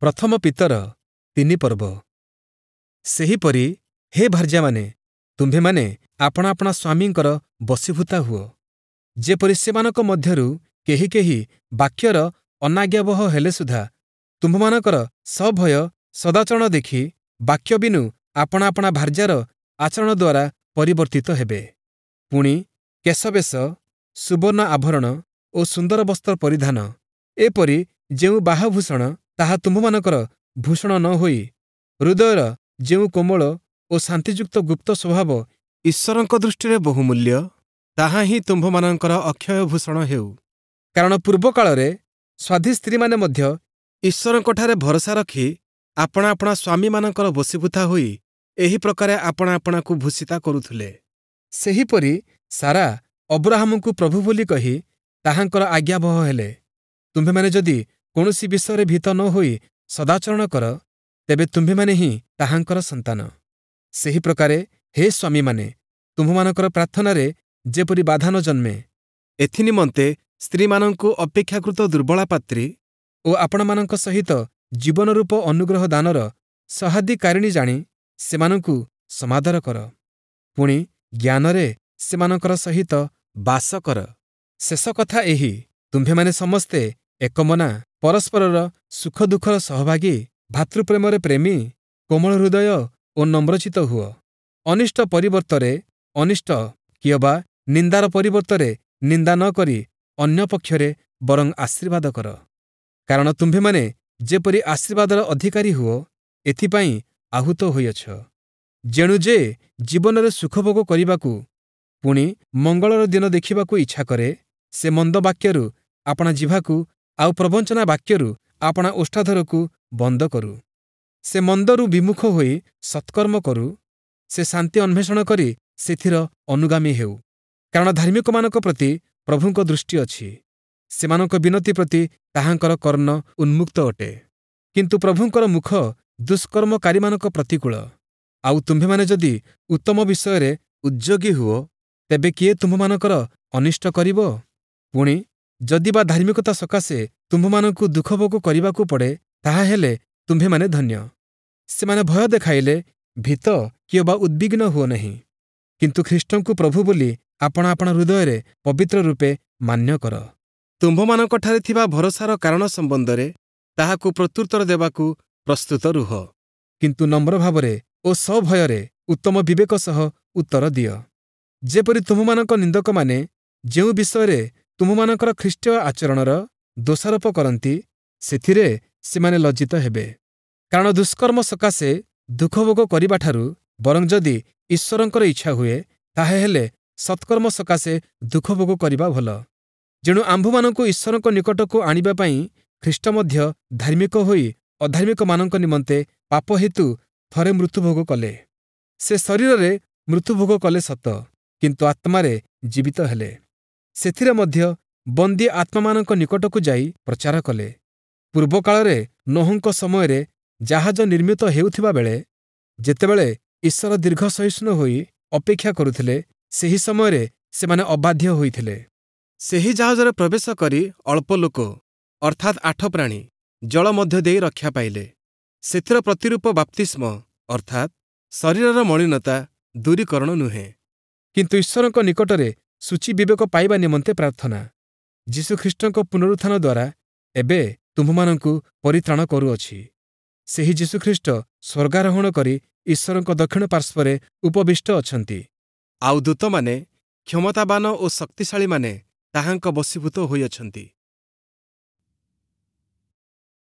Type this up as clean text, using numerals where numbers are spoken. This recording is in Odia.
ପ୍ରଥମ ପିତର 3 ପର୍ବ। ସେହିପରି ହେ ଭାର୍ଯ୍ୟାମାନେ, ତୁମ୍ଭେମାନେ ଆପଣା ଆପଣା ସ୍ୱାମୀଙ୍କର ବଶୀଭୂତା ହୁଅ, ଯେପରି ସେମାନଙ୍କ ମଧ୍ୟରୁ କେହି କେହି ବାକ୍ୟର ଅନାଜ୍ଞାବହ ହେଲେ ସୁଦ୍ଧା ତୁମ୍ଭମାନଙ୍କର ସଭୟ ସଦାଚରଣ ଦେଖି ବାକ୍ୟ ବିନୁ ଆପଣା ଆପଣା ଭାର୍ଯ୍ୟାର ଆଚରଣ ଦ୍ୱାରା ପରିବର୍ତ୍ତିତ ହେବେ। ପୁଣି କେଶବେଶ, ସୁବର୍ଣ୍ଣ ଆଭରଣ ଓ ସୁନ୍ଦର ବସ୍ତ୍ର ପରିଧାନ, ଏପରି ଯେଉଁ ବାହ୍ୟଭୂଷଣ, ତାହା ତୁମ୍ଭମାନଙ୍କର ଭୂଷଣ ନ ହୋଇ ହୃଦୟର ଯେଉଁ କୋମଳ ଓ ଶାନ୍ତିଯୁକ୍ତ ଗୁପ୍ତ ସ୍ୱଭାବ ଈଶ୍ୱରଙ୍କ ଦୃଷ୍ଟିରେ ବହୁମୂଲ୍ୟ, ତାହା ହିଁ ତୁମ୍ଭମାନଙ୍କର ଅକ୍ଷୟ ଭୂଷଣ ହେଉ। କାରଣ ପୂର୍ବକାଳରେ ସ୍ୱାଧୀ ସ୍ତ୍ରୀମାନେ ମଧ୍ୟ ଈଶ୍ୱରଙ୍କଠାରେ ଭରସା ରଖି ଆପଣା ଆପଣା ସ୍ୱାମୀମାନଙ୍କର ବଶୀଭୂତା ହୋଇ ଏହି ପ୍ରକାରେ ଆପଣା ଆପଣାକୁ ଭୂଷିତା କରୁଥିଲେ। ସେହିପରି ସାରା ଅବ୍ରାହାମଙ୍କୁ ପ୍ରଭୁ ବୋଲି କହି ତାହାଙ୍କର ଆଜ୍ଞାବହ ହେଲେ। ତୁମ୍ଭେମାନେ ଯଦି କୌଣସି ବିଷୟରେ ଭୀତ ନ ହୋଇ ସଦାଚରଣ କର, ତେବେ ତୁମ୍ଭେମାନେ ହିଁ ତାହାଙ୍କର ସନ୍ତାନ। ସେହି ପ୍ରକାରେ ହେ ସ୍ୱାମୀମାନେ, ତୁମ୍ଭମାନଙ୍କର ପ୍ରାର୍ଥନାରେ ଯେପରି ବାଧା ନ ଜନ୍ମେ, ଏଥିନିମନ୍ତେ ସ୍ତ୍ରୀମାନଙ୍କୁ ଅପେକ୍ଷାକୃତ ଦୁର୍ବଳା ପାତ୍ରୀ ଓ ଆପଣମାନଙ୍କ ସହିତ ଜୀବନରୂପ ଅନୁଗ୍ରହ ଦାନର ସହାଧିକାରିଣୀ ଜାଣି ସେମାନଙ୍କୁ ସମାଦର କର। ପୁଣି ଜ୍ଞାନରେ ସେମାନଙ୍କର ସହିତ ବାସ କର। ଶେଷ କଥା ଏହି, ତୁମ୍ଭେମାନେ ସମସ୍ତେ ଏକମନା, ପରସ୍ପରର ସୁଖ ଦୁଃଖର ସହଭାଗୀ, ଭାତୃପ୍ରେମରେ ପ୍ରେମୀ, କୋମଳ ହୃଦୟ ଓ ନମ୍ରଚିତ ହୁଅ। ଅନିଷ୍ଟ ପରିବର୍ତ୍ତରେ ଅନିଷ୍ଟ କିଅବା ନିନ୍ଦାର ପରିବର୍ତ୍ତରେ ନିନ୍ଦା ନ କରି ଅନ୍ୟ ପକ୍ଷରେ ବରଂ ଆଶୀର୍ବାଦ କର। କାରଣ ତୁମ୍ଭେମାନେ ଯେପରି ଆଶୀର୍ବାଦର ଅଧିକାରୀ ହୁଅ, ଏଥିପାଇଁ ଆହୁତ ହୋଇଅଛ। ଯେଣୁ ଯେ ଜୀବନରେ ସୁଖଭୋଗ କରିବାକୁ ପୁଣି ମଙ୍ଗଳର ଦିନ ଦେଖିବାକୁ ଇଚ୍ଛା କରେ, ସେ ମନ୍ଦ ବାକ୍ୟରୁ ଆପଣା ଜିହ୍ବାକୁ ଆଉ ପ୍ରବଞ୍ଚନା ବାକ୍ୟରୁ ଆପଣା ଓଷ୍ଠାଧରକୁ ବନ୍ଦ କରୁ। ସେ ମନ୍ଦରୁ ବିମୁଖ ହୋଇ ସତ୍କର୍ମ କରୁ, ସେ ଶାନ୍ତି ଅନ୍ୱେଷଣ କରି ସେଥିର ଅନୁଗାମୀ ହେଉ। କାରଣ ଧାର୍ମିକମାନଙ୍କ ପ୍ରତି ପ୍ରଭୁଙ୍କ ଦୃଷ୍ଟି ଅଛି, ସେମାନଙ୍କ ବିନତି ପ୍ରତି ତାହାଙ୍କର କର୍ଣ୍ଣ ଉନ୍ମୁକ୍ତ ଅଟେ। କିନ୍ତୁ ପ୍ରଭୁଙ୍କର ମୁଖ ଦୁଷ୍କର୍ମକାରୀମାନଙ୍କ ପ୍ରତିକୂଳ। ଆଉ ତୁମ୍ଭେମାନେ ଯଦି ଉତ୍ତମ ବିଷୟରେ ଉଦ୍ଯୋଗୀ ହୁଅ, ତେବେ କିଏ ତୁମ୍ଭମାନଙ୍କର ଅନିଷ୍ଟ କରିବ? ପୁଣି ଯଦି ବା ଧାର୍ମିକତା ସକାଶେ ତୁମ୍ଭମାନଙ୍କୁ ଦୁଃଖଭୋଗ କରିବାକୁ ପଡ଼େ, ତାହାହେଲେ ତୁମ୍ଭେମାନେ ଧନ୍ୟ। ସେମାନେ ଭୟ ଦେଖାଇଲେ ଭୀତ କିଅବା ଉଦ୍ବିଗ୍ନ ହୁଅ ନାହିଁ, କିନ୍ତୁ ଖ୍ରୀଷ୍ଟଙ୍କୁ ପ୍ରଭୁ ବୋଲି ଆପଣା ଆପଣା ହୃଦୟରେ ପବିତ୍ର ରୂପେ ମାନ୍ୟ କର। ତୁମ୍ଭମାନଙ୍କଠାରେ ଥିବା ଭରସାର କାରଣ ସମ୍ବନ୍ଧରେ ତାହାକୁ ପ୍ରତ୍ୟୁତ୍ତର ଦେବାକୁ ପ୍ରସ୍ତୁତ ରୁହ, କିନ୍ତୁ ନମ୍ର ଭାବରେ ଓ ସଭୟରେ ଉତ୍ତମ ବିବେକ ସହ ଉତ୍ତର ଦିଅ। ଯେପରି ତୁମ୍ଭମାନଙ୍କ ନିନ୍ଦକମାନେ ଯେଉଁ ବିଷୟରେ ତୁମ୍ଭମାନଙ୍କର ଖ୍ରୀଷ୍ଟୀୟ ଆଚରଣର ଦୋଷାରୋପ କରନ୍ତି, ସେଥିରେ ସେମାନେ ଲଜ୍ଜିତ ହେବେ। କାରଣ ଦୁଷ୍କର୍ମ ସକାଶେ ଦୁଃଖଭୋଗ କରିବାଠାରୁ ବରଂ ଯଦି ଈଶ୍ୱରଙ୍କର ଇଚ୍ଛା ହୁଏ, ତାହାହେଲେ ସତ୍କର୍ମ ସକାଶେ ଦୁଃଖଭୋଗ କରିବା ଭଲ। ଯେଣୁ ଆମ୍ଭମାନଙ୍କୁ ଈଶ୍ୱରଙ୍କ ନିକଟକୁ ଆଣିବା ପାଇଁ ଖ୍ରୀଷ୍ଟ ମଧ୍ୟ ଧାର୍ମିକ ହୋଇ ଅଧାର୍ମିକମାନଙ୍କ ନିମନ୍ତେ ପାପ ହେତୁ ଥରେ ମୃତ୍ୟୁଭୋଗ କଲେ। ସେ ଶରୀରରେ ମୃତ୍ୟୁଭୋଗ କଲେ ସତ, କିନ୍ତୁ ଆତ୍ମାରେ ଜୀବିତ ହେଲେ। ସେଥିରେ ମଧ୍ୟ ବନ୍ଦୀ ଆତ୍ମାମାନଙ୍କ ନିକଟକୁ ଯାଇ ପ୍ରଚାର କଲେ। ପୂର୍ବକାଳରେ ନୋହଙ୍କ ସମୟରେ ଜାହାଜ ନିର୍ମିତ ହେଉଥିବା ବେଳେ ଯେତେବେଳେ ଈଶ୍ୱର ଦୀର୍ଘ ସହିଷ୍ଣୁ ହୋଇ ଅପେକ୍ଷା କରୁଥିଲେ, ସେହି ସମୟରେ ସେମାନେ ଅବାଧ୍ୟ ହୋଇଥିଲେ। ସେହି ଜାହାଜରେ ପ୍ରବେଶ କରି ଅଳ୍ପ ଲୋକ, ଅର୍ଥାତ୍ 8 ପ୍ରାଣୀ, ଜଳ ମଧ୍ୟ ଦେଇ ରକ୍ଷା ପାଇଲେ। ସେଥିର ପ୍ରତିରୂପ ବାପ୍ତିସ୍ମ, ଅର୍ଥାତ୍ ଶରୀରର ମଳିନତା ଦୂରୀକରଣ ନୁହେଁ, କିନ୍ତୁ ଈଶ୍ୱରଙ୍କ ନିକଟରେ ଶୁଚି ବିବେକ ପାଇବା ନିମନ୍ତେ ପ୍ରାର୍ଥନା ଯୀଶୁଖ୍ରୀଷ୍ଟଙ୍କ ପୁନରୁତ୍ଥାନ ଦ୍ୱାରା ଏବେ ତୁମ୍ଭମାନଙ୍କୁ ପରିତ୍ରାଣ କରୁଅଛି। ସେହି ଯୀଶୁଖ୍ରୀଷ୍ଟ ସ୍ୱର୍ଗାରୋହଣ କରି ଈଶ୍ୱରଙ୍କ ଦକ୍ଷିଣ ପାର୍ଶ୍ୱରେ ଉପବିଷ୍ଟ ଅଛନ୍ତି। ଆଉ ଦୂତମାନେ, କ୍ଷମତାବାନ ଓ ଶକ୍ତିଶାଳୀମାନେ ତାହାଙ୍କ ବଶୀଭୂତ ହୋଇଅଛନ୍ତି।